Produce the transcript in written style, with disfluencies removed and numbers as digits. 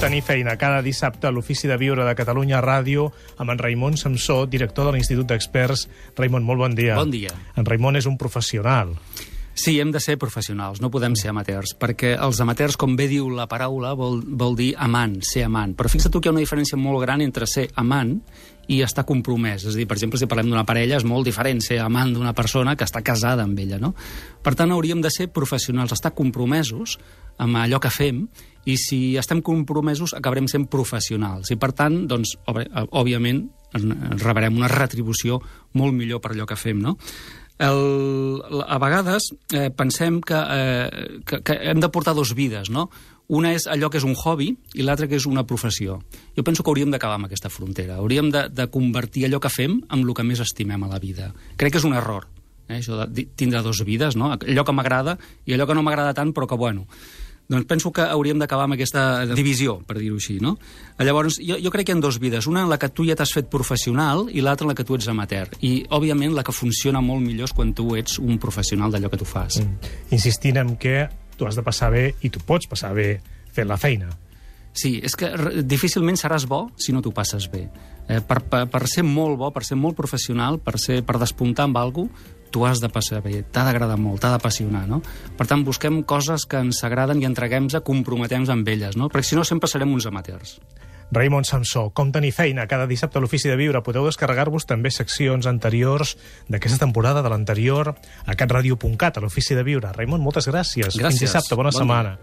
tenir feina cada dissabte a l'Ofici de Viure de Catalunya Ràdio amb en Raimon Samsó, director de l'Institut d'Experts. Raimon, molt bon dia. Bon dia. En Raimon és un professional. Sí, hem de ser professionals, no podem ser amateurs, perquè els amateurs, com bé diu la paraula, vol dir amant, ser amant. Però fixa't tu que hi ha una diferència molt gran entre ser amant i estar compromès. És a dir, per exemple, si parlem d'una parella, és molt diferent ser amant d'una persona que està casada amb ella, no? Per tant, hauríem de ser professionals, estar compromesos amb allò que fem, i si estem compromesos acabarem sent professionals. I per tant, doncs, òbviament, rebrem una retribució molt millor per allò que fem, no? A vegades pensem que hem de portar dues vides, no? Una és allò que és un hobby i l'altra que és una professió. Jo penso que hauríem d'acabar amb aquesta frontera. Hauríem de convertir allò que fem en el que més estimem a la vida. Crec que és un error, això de tindre dues vides, no? Allò que m'agrada i allò que no m'agrada tant, però que, bueno... Doncs penso que hauríem d'acabar amb aquesta divisió, per dir-ho així, no? Llavors, jo crec que hi ha dues vides. Una en la que tu ja t'has fet professional i l'altra en la que tu ets amateur. I, òbviament, la que funciona molt millor és quan tu ets un professional d'allò que tu fas. Insistint en que tu has de passar bé i tu pots passar bé fent la feina. Sí, és que difícilment seràs bo si no t'ho passes bé. Per ser molt bo, per ser molt professional, per despuntar amb alguna cosa, tu has de passar bé, t'ha d'agradar molt, t'ha d'apassionar, no? Per tant, busquem coses que ens agraden i entreguem-nos, comprometem-nos amb elles, no? Perquè si no, sempre serem uns amateurs. Raimon Samsó, com tenir feina cada dissabte a l'Ofici de Viure. Podeu descarregar-vos també seccions anteriors d'aquesta temporada, de l'anterior, a catradio.cat, a l'Ofici de Viure. Raimon, moltes gràcies. Gràcies. Fins dissabte, bona setmana.